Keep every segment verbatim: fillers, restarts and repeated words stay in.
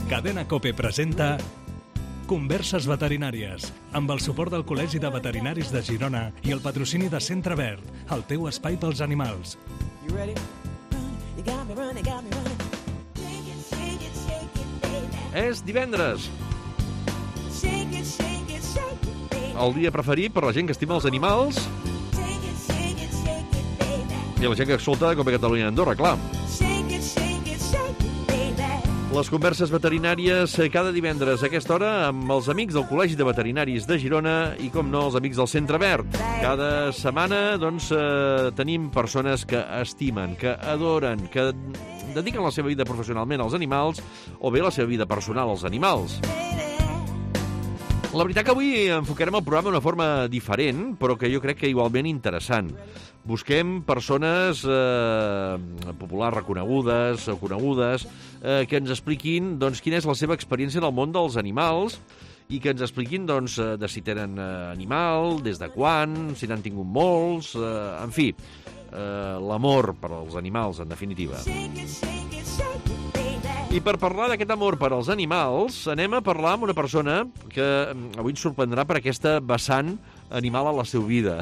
Cadena COPE presenta Converses veterinàries, amb el suport del Col·legi de Veterinaris de Girona i el patrocini de Centre Verd, el teu espai pels animals. És divendres. El dia preferit per la gent que estima els animals i la gent que escolta com a Catalunya i Andorra, clar. Les converses veterinàries cada divendres a aquesta hora amb els amics del Col·legi de Veterinaris de Girona i, com no, els amics del Centre Verd. Cada setmana, doncs, eh, tenim persones que estimen, que adoren, que dediquen la seva vida professionalment als animals o bé la seva vida personal als animals. La veritat que avui enfocarem el programa d'una forma diferent, però que jo crec que igualment interessant. Busquem persones eh, populars reconegudes o conegudes eh, que ens expliquin doncs, quina és la seva experiència en el món dels animals i que ens expliquin doncs, de si tenen eh, animal, des de quan, si n'han tingut molts, eh, en fi, eh, l'amor per als animals, en definitiva. I per parlar d'aquest amor per als animals, anem a parlar amb una persona que avui ens sorprendrà per aquesta vessant animal a la seva vida.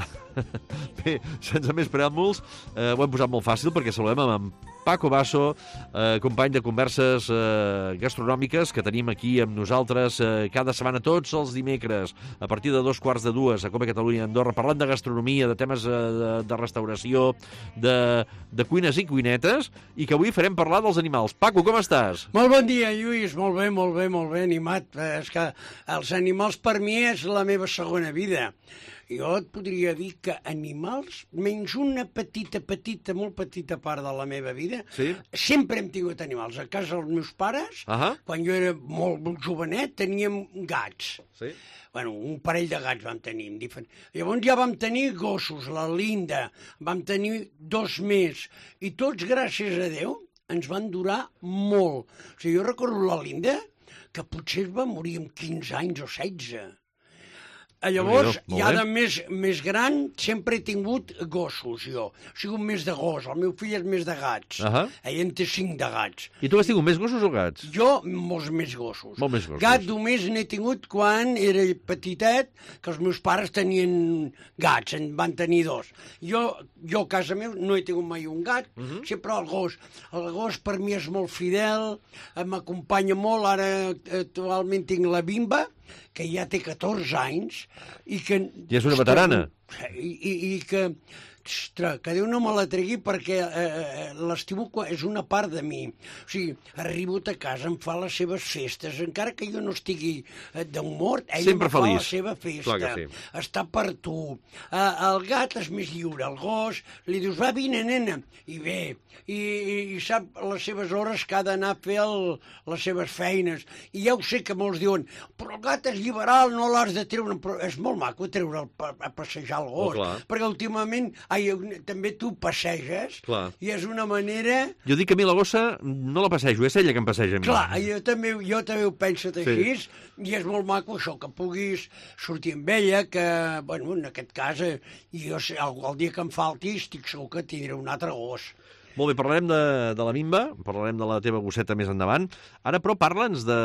Bé, sense més preàmbuls, eh, ho hem posat molt fàcil perquè saludem amb en Paco Basso, eh, company de converses eh, gastronòmiques que tenim aquí amb nosaltres eh, cada setmana, tots els dimecres, a partir de dos quarts de dues, a Copa Catalunya i Andorra, parlant de gastronomia, de temes eh, de, de restauració, de, de cuines i cuinetes, i que avui farem parlar dels animals. Paco, com estàs? Molt bon dia, Lluís. Molt bé, molt bé, molt bé, animat. És que els animals per mi és la meva segona vida. Jo et podria dir que animals, menys una petita, petita, molt petita part de la meva vida, sí? Sempre hem tingut animals. A casa dels meus pares, uh-huh. quan jo era molt, molt jovenet, teníem gats. Sí? Bueno, un parell de gats vam tenir. Llavors ja vam tenir gossos, la Linda, vam tenir dos més, i tots, gràcies a Déu, ens van durar molt. O sigui, jo recordo la Linda, que potser es va morir amb quinze anys o setze. Llavors, ja de més, més gran, sempre he tingut gossos, jo. He sigut més de gos, el meu fill és més de gats. Uh-huh. Ell en té cinc de gats. I tu has tingut més gossos o gats? Jo, molts més gossos. Molt més gossos. Gat només n'he tingut quan era petitet, que els meus pares tenien gats, en van tenir dos. Jo, jo a casa meu, no he tingut mai un gat, uh-huh. sempre el gos. El gos per mi és molt fidel, m'acompanya molt, ara actualment tinc la Bimba, que ja té catorze anys, i que... I és una veterana. I, i, i que... Ostres, que Déu no me la tregui perquè eh, l'estimo, és una part de mi. O sigui, arribo a casa, em fa les seves festes, encara que jo no estigui d'humor, ell sempre em fa feliç. la seva festa. Clar que sí. Està per tu. Eh, el gat és més lliure, el gos, li dius, va, vine, nena, i ve. I, i, i sap les seves hores que ha d'anar a fer el, les seves feines. I ja ho sé que molts diuen, però el gat és liberal, no l'has de treure. Però és molt maco treure'l a passejar el gos, oh, perquè últimament... Ai, també tu passeges, clar. I és una manera... Jo dic que a mi la gossa no la passejo, és ella que em passeja a mi. Clar, jo també, jo també ho penso així, sí. I és molt maco això, que puguis sortir amb ella, que, bueno, en aquest cas, eh, jo, el, el dia que em falti, estic segur que tindré un altre gos. Molt bé, parlarem de, de la Bimba, parlarem de la teva gosseta més endavant. Ara, però, parla'ns de,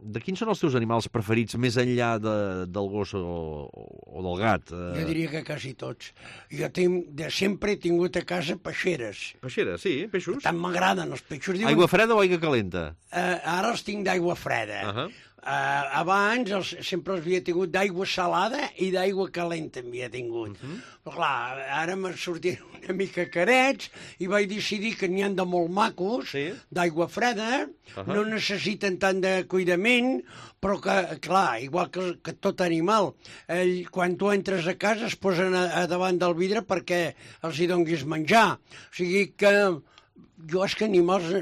de quins són els teus animals preferits més enllà de, del gos o, o del gat. Jo diria que quasi tots. Jo tinc, de sempre he tingut a casa peixeres. Peixeres, sí, peixos. Tant m'agraden els peixos. Diuen... Aigua freda o aigua calenta? Uh, ara els tinc d'aigua freda. Uh-huh. Uh, abans els, sempre els havia tingut d'aigua salada i d'aigua calenta havia tingut. Uh-huh. Però clar, ara m'han sortit una mica carets i vaig decidir que n'hi han de molt macos, sí? D'aigua freda, uh-huh. No necessiten tant de cuidament, però que, clar, igual que, que tot animal, ell, quan tu entres a casa es posen a, a davant del vidre perquè els hi donguis menjar. O sigui que jo és que animals...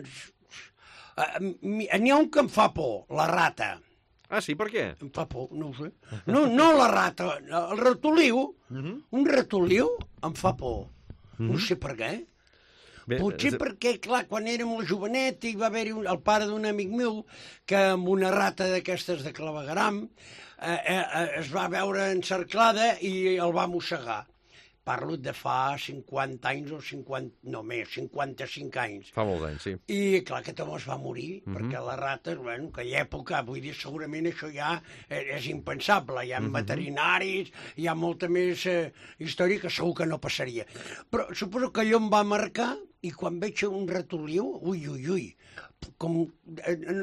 Uh, n'hi ha un que em fa por, la rata. Ah, sí? Per què? Em fa por, no ho sé. No, no la rata, el ratoliu. Uh-huh. Un ratoliu em fa por. Uh-huh. No sé per què. Bé, potser és... perquè, clar, quan era molt jovenet hi va haver-hi un, el pare d'un amic meu que amb una rata d'aquestes de clavegueram eh, eh, es va veure encerclada i el va mossegar. parlo de fa cinquanta anys o cinquanta, no més, cinquanta-cinc anys. Fa molts anys, sí. I clar, aquest home es va morir, uh -huh. perquè les rates, bueno, en aquella època, vull dir, segurament això ja és impensable. Hi ha uh -huh. veterinaris, hi ha molta més eh, història que segur que no passaria. Però suposo que allò em va marcar, i quan veig un ratoliu, ui, ui, ui, com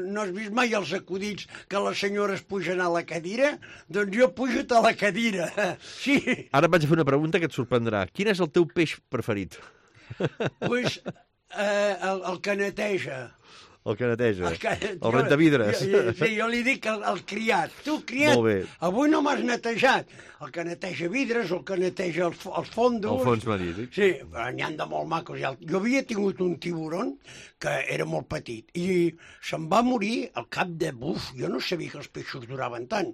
no has vist mai els acudits que les senyores pugen a la cadira? Doncs jo pujo a la cadira, sí. Ara et vaig a fer una pregunta que et sorprendrà. Quin és el teu peix preferit? Pues eh, el, el que neteja. El que neteja, el, que, el rentavidres. Jo, jo, sí, jo li dic el, el criat. Tu, criat, avui no m'has netejat. El que neteja vidres, el que neteja els, els fondos... El fons marí, sí. Sí, n'hi han de molt macos. Jo havia tingut un tiburon que era molt petit i se'n va morir al cap de... Buf, jo no sabia que els peixos duraven tant.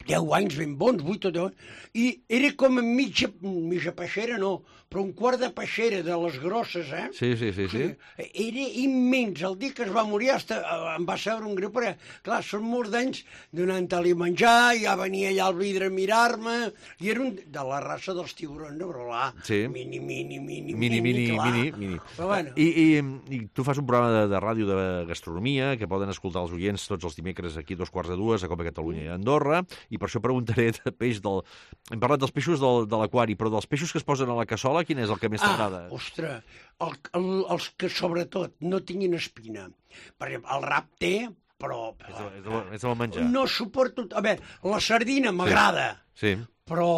Deu anys ben bons, vuit o deu... I era com mitja, mitja peixera, no, però un quart de peixera de les grosses, eh? Sí, sí, sí, sí. Era immens. El dia que es va morir hasta, em va saber un greu, perquè, clar, són molts d'anys donant-li menjar, ja venia allà al vidre a mirar-me, i era un, de la raça dels tiburons, no? Però là, sí. mini, mini, mini, mini, mini, clar. mini, mini. Però bueno. I, i, I tu fas un programa de, de ràdio de gastronomia que poden escoltar els oients tots els dimecres aquí a dos quarts de dues a Copa Catalunya i a Andorra, i per això preguntaré de peix del... Hem parlat dels peixos del, de l'aquari, però dels peixos que es posen a la cassola, quin és el que més t'agrada? Ah, ostres, el, el, els que sobretot no tinguin espina. Per exemple, el rap té, però... És de, és de menjar. No suporto... A veure, la sardina m'agrada, sí. sí. però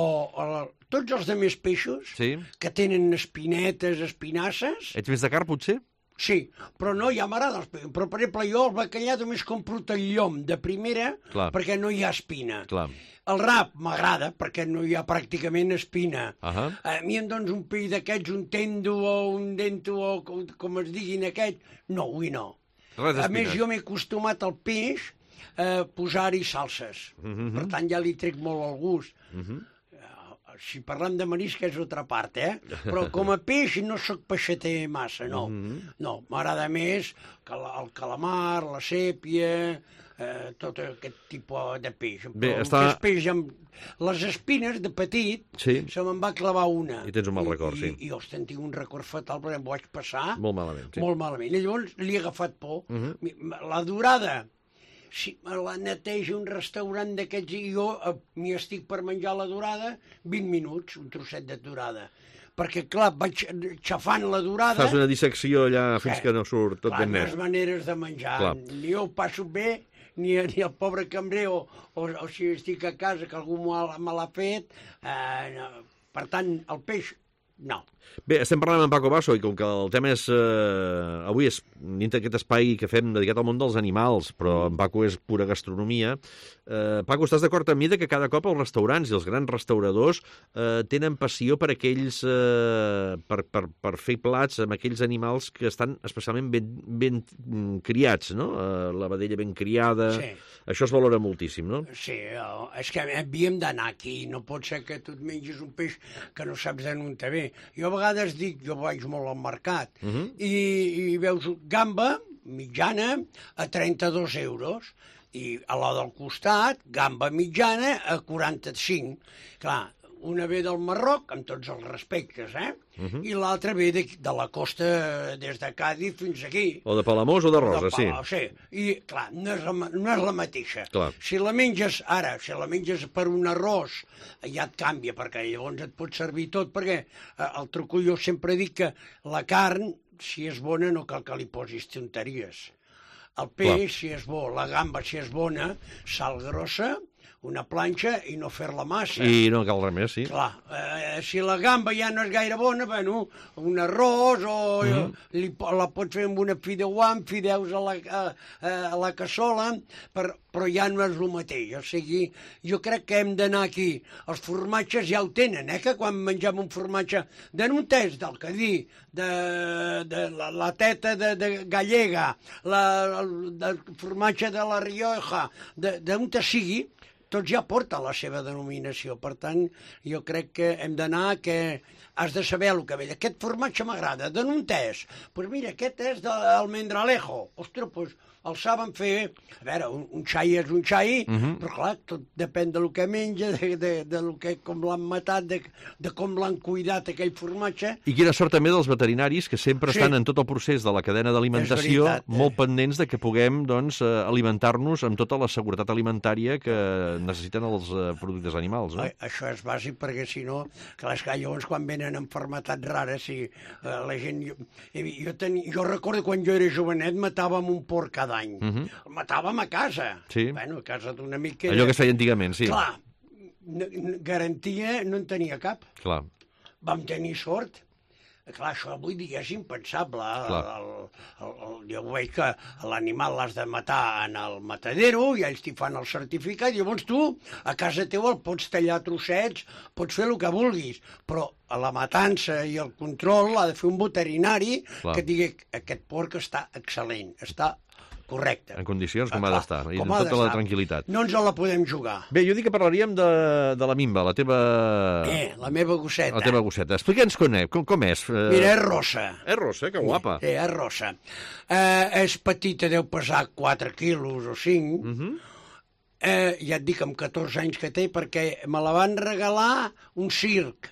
el, tots els altres peixos sí. que tenen espinetes, espinasses... Ets més de carn, potser? Sí, però no, ja m'agrada els peixos. Però, per exemple, jo el bacallà només compro el llom de primera Clar. perquè no hi ha espina. Clar. El rap m'agrada perquè no hi ha pràcticament espina. Uh -huh. A mi em dones un peix d'aquests, un tendo o un dento o com, com es diguin aquests. No, avui no. A més, jo m'he acostumat al peix a posar-hi salses. Uh -huh. Per tant, ja li trec molt el gust. Uh -huh. Si parlem de marisc és altra part, eh? Però com a peix no sóc peixater massa, no. Mm-hmm. No, m'agrada més el calamar, la sèpia, eh, tot aquest tipus de peix. Bé, però està... peix amb les espines, de petit, sí. se me'n va clavar una. I tens un mal record, I, sí. I, i ostres, en tinc un record fatal, perquè em vaig passar... Molt malament, sí. Molt malament. I llavors li he agafat por. Mm-hmm. La dorada... Si me la neteja un restaurant d'aquests i jo eh, m'hi estic per menjar la dorada, vint minuts, un trosset de dorada. Perquè, clar, vaig xafant la dorada... Fas una dissecció allà fins eh, que no surt tot clar, ben net. Clar, les maneres de menjar. Clar. Ni jo ho passo bé, ni, ni el pobre cambrer, o, o, o si estic a casa, que algú me l'ha fet. Eh, no. Per tant, el peix... No. Bé, estem parlant amb Paco Basso i com que el tema és... Eh, avui és dintre d'aquest espai que fem dedicat al món dels animals, però en Paco és pura gastronomia. Eh, Paco, estàs d'acord amb mi que cada cop els restaurants i els grans restauradors eh, tenen passió per aquells... Eh, per, per, per fer plats amb aquells animals que estan especialment ben, ben criats, no? Eh, la vedella ben criada... Sí. Això es valora moltíssim, no? Sí, és que havíem d'anar aquí. No pot ser que tu et mengis un peix que no saps d'on te ve. Jo a vegades dic, jo vaig molt al mercat, uh -huh. i, i veus gamba mitjana a trenta-dos euros, i a la del costat, gamba mitjana a quaranta-cinc. Clar, una ve del Marroc, amb tots els respectes, eh? Uh -huh. I l'altra ve de, de la costa, des de Càdiz fins aquí. O de Palamós o de Rosa, sí. Sí. I, clar, no és la, no és la mateixa. Clar. Si la menges, ara, si la menges per un arròs, ja et canvia, perquè llavors et pot servir tot, perquè eh, el truco jo sempre dic que la carn, si és bona, no cal que li posis tonteries. El peix, clar, si és bo, la gamba, si és bona, sal grossa, una planxa i no fer-la massa. I no cal res més, sí. Clar, eh, si la gamba ja no és gaire bona, bueno, un arròs o mm-hmm. li, la pots fer amb una fideuà, amb fideus a la, a, a la cassola, per, però ja no és el mateix. O sigui, jo crec que hem d'anar aquí. Els formatges ja ho tenen, eh, que quan mengem un formatge de Nuntés, del Cadí, de, de la, la teta de, de gallega, la, el, el formatge de la Rioja, d'on te sigui, tots ja porten la seva denominació. Per tant, jo crec que hem d'anar que has de saber el que ve. Aquest formatge m'agrada, de on és? Doncs pues mira, aquest és d'Almendralejo. Ostres, doncs pues, el saben fer... A veure, un, un xai és un xai, uh -huh. però clar, tot depèn de lo que menja, de, de, de lo que, com l'han matat, de, de com l'han cuidat aquell formatge. I quina sort també dels veterinaris que sempre sí. estan en tot el procés de la cadena d'alimentació veritat, molt eh? pendents de que puguem doncs, alimentar-nos amb tota la seguretat alimentària que necessiten els productes animals. No? Això és bàsic perquè si no, clar, esclar, llavors quan venen enfermetats rares, si eh, la gent... Jo, jo, ten, jo recordo quan jo era jovenet matàvem un porc cada any. Uh -huh. El matàvem a casa. Sí. Bueno, a casa d'un amic que... Allò que es feia antigament, sí. Clar, garantia no en tenia cap. Clar. Vam tenir sort. Clar, això avui dia és impensable. El, el, el, el, jo veig que l'animal l'has de matar en el matadero i ells t'hi fan el certificat, i llavors tu a casa teu el pots tallar a trossets, pots fer el que vulguis, però la matança i el control l'ha de fer un veterinari Clar. que digui aquest porc està excel·lent, està correcte. En condicions com ah, ha d'estar, i amb tota la tranquil·litat. No ens la podem jugar. Bé, jo dic que parlaríem de, de la Mimba, la teva... Eh, la meva gosseta. La teva gosseta. Explica'ns com, com, com és. Mira, és rossa. És rossa, que guapa. Sí, és rossa. Eh, és petita, deu pesar quatre quilos o cinc. Uh -huh. eh, ja et dic, amb catorze anys que té, perquè me la van regalar un circ.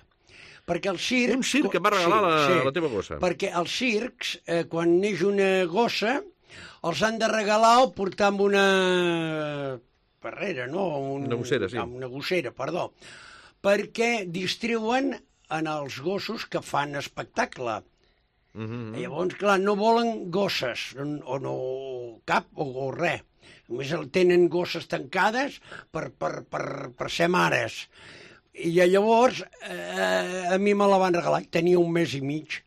Perquè el circ... Un circ que va regalar sí, la, sí, la teva gossa. Perquè els circs, eh, quan neix una gossa, els han de regalar o portar amb una barrera, no? Un, una gossera, sí. Una gossera, perdó. Perquè distriuen en els gossos que fan espectacle. Uh -huh. Llavors, clar, no volen gosses, o no cap, o, o res. Només el tenen gosses tancades per, per, per, per ser mares. I llavors, eh, a mi me la van regalar, tenia un mes i mig.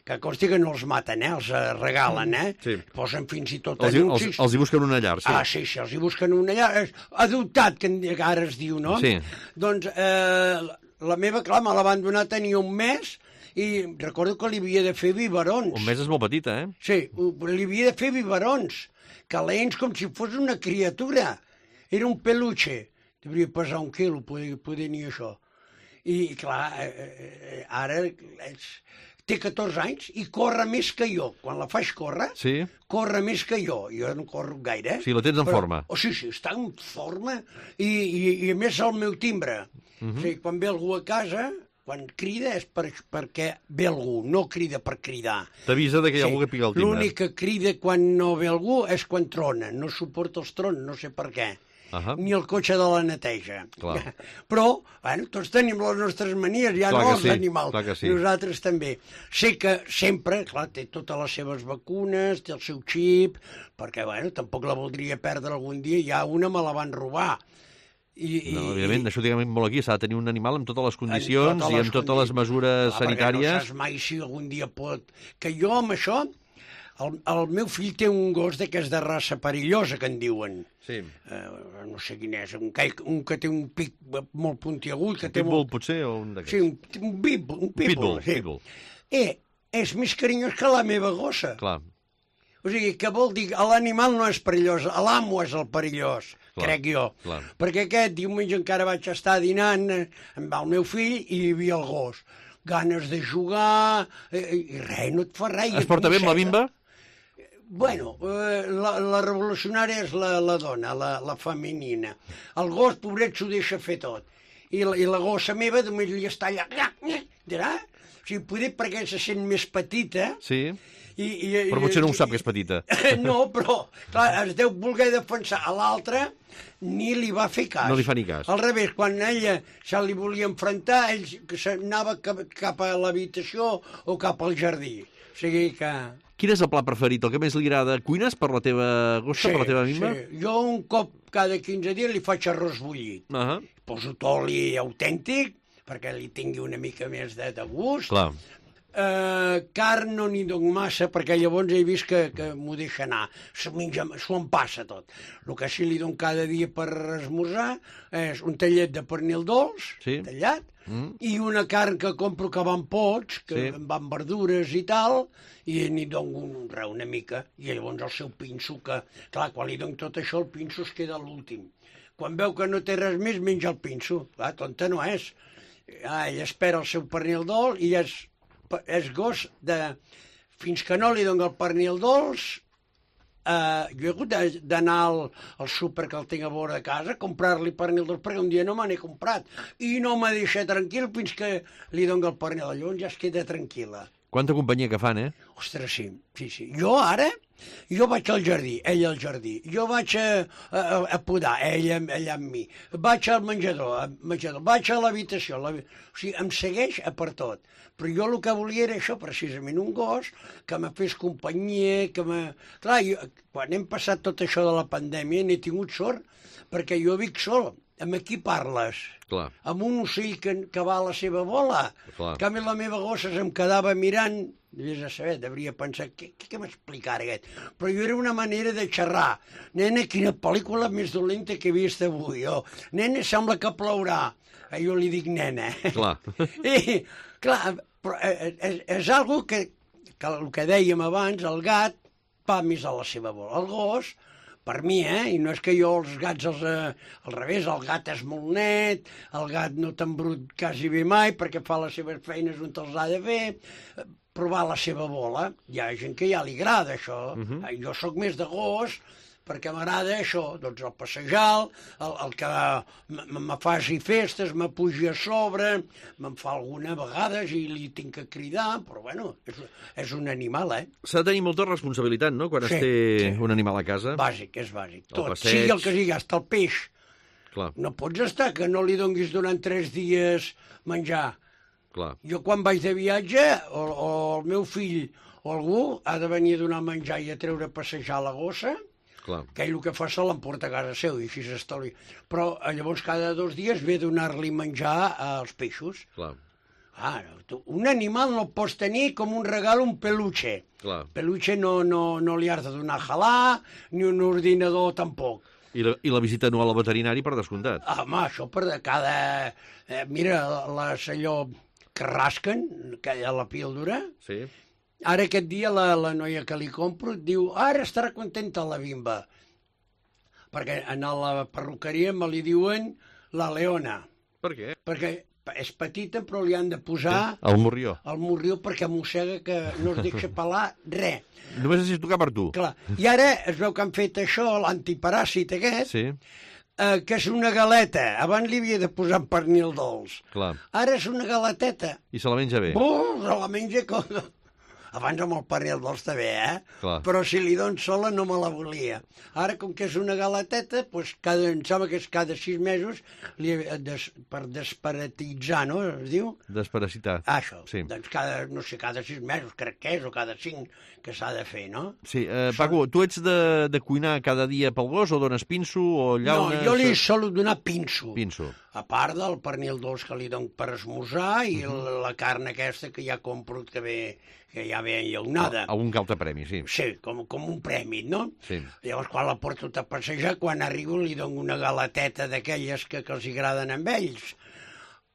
Que consti que no els maten, eh? Els regalen, eh? Sí. Posen fins i tot els, anuncis. Els, els hi busquen una llar, sí. Ah, sí, sí, els hi busquen una llar. És adoptat, que ara es diu, no? Sí. Doncs eh, la meva, clar, me la van donar, tenia un mes, i recordo que li havia de fer biberons. Un mes és molt petita, eh? Sí, li havia de fer biberons, calents com si fos una criatura. Era un peluche. Devia pesar un quilo, poder, poder ni això. I, clar, eh, eh, ara és... té catorze anys i corre més que jo. Quan la faig córrer, sí. corre més que jo. Jo no corro gaire. Sí, la tens en però, forma. Oh, sí, sí, està en forma i, i, i a més el meu timbre. Uh -huh. O sigui, quan ve algú a casa, quan crida és per, perquè ve algú, no crida per cridar. T'avisa que hi ha sí. algú que pica el timbre. L'únic que crida quan no ve algú és quan trona. No suporta els trons, no sé per què. Uh -huh. Ni el cotxe de la neteja. Clar. Però, bueno, tots tenim les nostres manies, ja clar no els sí, animals, sí. nosaltres també. Sé que sempre, clar, té totes les seves vacunes, té el seu xip, perquè, bueno, tampoc la voldria perdre algun dia, ja una me la van robar. I, no, evidentment, i... això diguem molt aquí, s'ha de tenir un animal amb totes les condicions totes les i amb totes les mesures clar, sanitàries. No saps mai si algun dia pot... Que jo amb això... El, el meu fill té un gos d'aquest de raça perillosa, que en diuen. Sí. Uh, no sé quin és, un que, un que té un pic molt puntiagut. Que un té pitbull, molt... potser, o un d'aquests? Sí, un, un pitbull. Un pitbull, pitbull, sí. pitbull. Eh, és més carinyós que la meva gossa. Clar. O sigui, que vol dir, l'animal no és perillós, l'amo és el perillós, clar, crec jo. Clar. Perquè aquest diumenge encara vaig estar dinant amb el meu fill i hi havia el gos. Ganes de jugar, i, i res, no et fa res. Es porta bé amb la Bimba? Bueno, eh, la, la revolucionària és la, la dona, la, la femenina. El gos, pobret, s'ho deixa fer tot. I la, i la gossa meva només li està allà... Dirà? O sigui, poder perquè se sent més petita... Sí. I, i, però potser no ho sap, que és petita. No, però, clar, es deu voler defensar. A l'altre ni li va fer cas. No li fa ni cas. Al revés, quan ella se li volia enfrontar, ell anava cap, cap a l'habitació o cap al jardí. O sigui que... Quin és el pla preferit, el que més li agrada? Cuines per la teva gossa, sí, per la teva Bimba? Sí, jo un cop cada quinze dies li faig arròs bullit. Uh -huh. Poso oli autèntic, perquè li tingui una mica més de, de gust. Clar. Uh, carn no n'hi dono massa, perquè llavors he vist que, que m'ho deixa anar. S'ho em passa tot. El que sí li dono cada dia per esmorzar és un tallet de pernil dolç, sí. tallat, mm. i una carn que compro que va en pots, que sí. va amb verdures i tal, i n'hi dono un, una mica, i llavors el seu pinso, que, clar, quan li dono tot això, el pinso es queda a l'últim. quan veu que no té res més, menja el pinso. Clar, tonta no és. Ah, ell espera el seu pernil dolç i és, és gos de... Fins que no li doni el pernil dolç, Uh, jo he hagut d'anar al, al súper que el tinc a vora de casa, comprar-li pernil dolç, perquè un dia no me n'he comprat. I no m'ha deixat tranquil fins que li doni el pernil. Llavors ja es queda tranquil·la. Quanta companyia que fan, eh? Ostres, sí, sí, sí. Jo ara, jo vaig al jardí, ell al jardí. Jo vaig a, a, a podar, ell, ell amb mi. Vaig al menjador, al menjador. Vaig a l'habitació. La... O sigui, em segueix a per tot. Però jo el que volia era això, precisament, un gos que me fes companyia, que me... Clar, jo, quan hem passat tot això de la pandèmia n'he tingut sort, perquè jo vic sol. Amb qui parles? Clar. Amb un ocell que, que va a la seva bola. Clar. En canvi, la meva gossa se'm quedava mirant, devies a saber, devia pensar, què, què, què m'explicarà aquest? Però jo era una manera de xerrar. Nena, quina pel·lícula més dolenta que he vist avui. Oh, nena, sembla que plourà. Jo li dic nena. Clar. I, clar, però és, és algo que, que el que dèiem abans, el gat va més a la seva bola. El gos, per mi, eh? I no és que jo els gats, els, eh, al revés, el gat és molt net, el gat no t'embrut quasi bé mai perquè fa les seves feines on els ha de fer, provar la seva bola. Hi ha gent que ja li agrada això. Uh-huh. Jo sóc més de gos, perquè m'agrada això, doncs el passejar, el, el que me faci festes, me pugi a sobre, me'n fa alguna vegades i li tinc que cridar, però bueno, és, és un animal, eh? S'ha de tenir molta responsabilitat, no?, quan sí, es té sí. un animal a casa. Bàsic, és bàsic. El Tot, passeig... sigui el que sigui, hasta el peix. Clar. No pots estar que no li donguis durant tres dies menjar. Clar. Jo quan vaig de viatge, o, o el meu fill o algú ha de venir a donar menjar i a treure a passejar la gossa, clar, que ell el que fa se l'emporta a casa seu i així s'estalvia. Però llavors cada dos dies ve a donar-li menjar als peixos. Clar. Ah, tu, un animal no pots tenir com un regal un peluche. Clar. Peluche no, no, no li has de donar a jalar, ni un ordinador tampoc. I la, i la visita anual al veterinari, per descomptat. Ah, home, això per de cada... Eh, mira, les allò que rasquen, que hi ha la píldora... Sí. Ara aquest dia la, la noia que li compro diu, ara estarà contenta la Bimba, perquè a la perruqueria me li diuen la Leona. Per què? Perquè és petita però li han de posar... El morrió. El morrió perquè mossega que no es deixa pelar res. Només necessito tocar per tu. Clar. I ara es veu que han fet això, l'antiparàsit aquest, sí. eh, que és una galeta. Abans li havia de posar pernil dolç. Clar. Ara és una galeteta. I se la menja bé. Oh, se la menja com... Abans amb el pernil dolç també, eh? Clar. Però si li dono sola no me la volia. Ara, com que és una galeteta, doncs cada, em sembla que és cada sis mesos li, des, per desparatitzar, no? Es diu? Desparasitar. Ah, això. Sí. Doncs cada, no sé, cada sis mesos crec que és, o cada cinc que s'ha de fer, no? Sí. Eh, Paco, tu ets de, de cuinar cada dia pel gos o dones pinso o llaunes? No, jo li solo donar pinso. Pinso. A part del pernil dolç que li dono per esmorzar i uh -huh. la carn aquesta que ja compro que ve... que ja ve enllaunada. Algun que altre premi, sí. Sí, com, com un premi, no? Sí. Llavors, quan la porto a passejar, quan arribo li dono una galeteta d'aquelles que, que els agraden amb ells.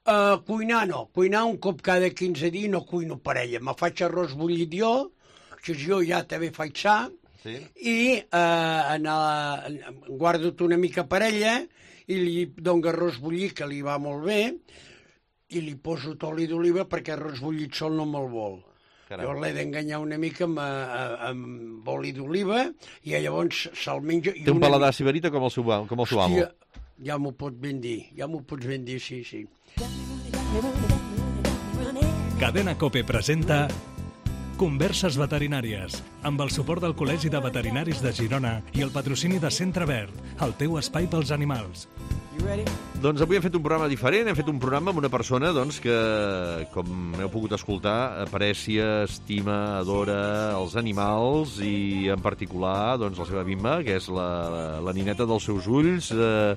Uh, cuinar no. Cuinar un cop cada quinze dies no cuino per ella. Me faig arròs bullit jo, això jo ja també faig sa, sí. I uh, anar, guardo una mica per ella i li dono arròs bullit, que li va molt bé, i li poso oli d'oliva perquè arròs bullit sol no me'l vol. Caram. Llavors l'he d'enganyar una mica amb, amb oli d'oliva i llavors se'l menja... Té un paladar sibarita com el seu, com el seu amo. Hòstia, ja m'ho pots ben dir, ja m'ho pots ben dir, sí, sí. Cadena COPE presenta Converses veterinàries, amb el suport del Col·legi de Veterinaris de Girona i el patrocini de Centre Verd, el teu espai pels animals. Doncs avui hem fet un programa diferent, hem fet un programa amb una persona doncs, que, com heu pogut escoltar, aprecia, estima, adora els animals i en particular doncs, la seva Bimba, que és la, la nineta dels seus ulls. Eh,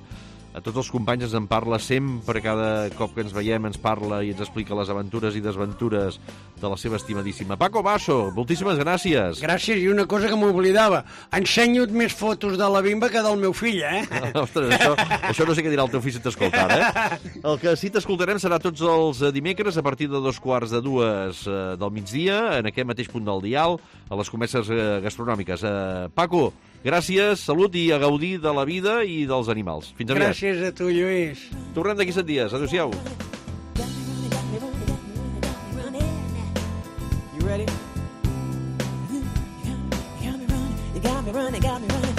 a tots els companys ens en parla sempre, cada cop que ens veiem ens parla i ens explica les aventures i desventures de la seva estimadíssima Paco Basso. Moltíssimes gràcies. Gràcies, i una cosa que m'oblidava, ensenyo més fotos de la Bimba que del meu fill, eh? Ostres, això, això no sé què dirà el teu fill si t'escoltar, eh? El que sí t'escoltarem serà tots els dimecres a partir de dos quarts de dues del migdia, en aquest mateix punt del dial, a les converses gastronòmiques. Uh, Paco, Gràcies, salut i a gaudir de la vida i dels animals. Fins aviat. Gràcies a tu, Lluís. Tornem d'aquí set dies. Adéu-siau. You ready? You got me running, you got me running.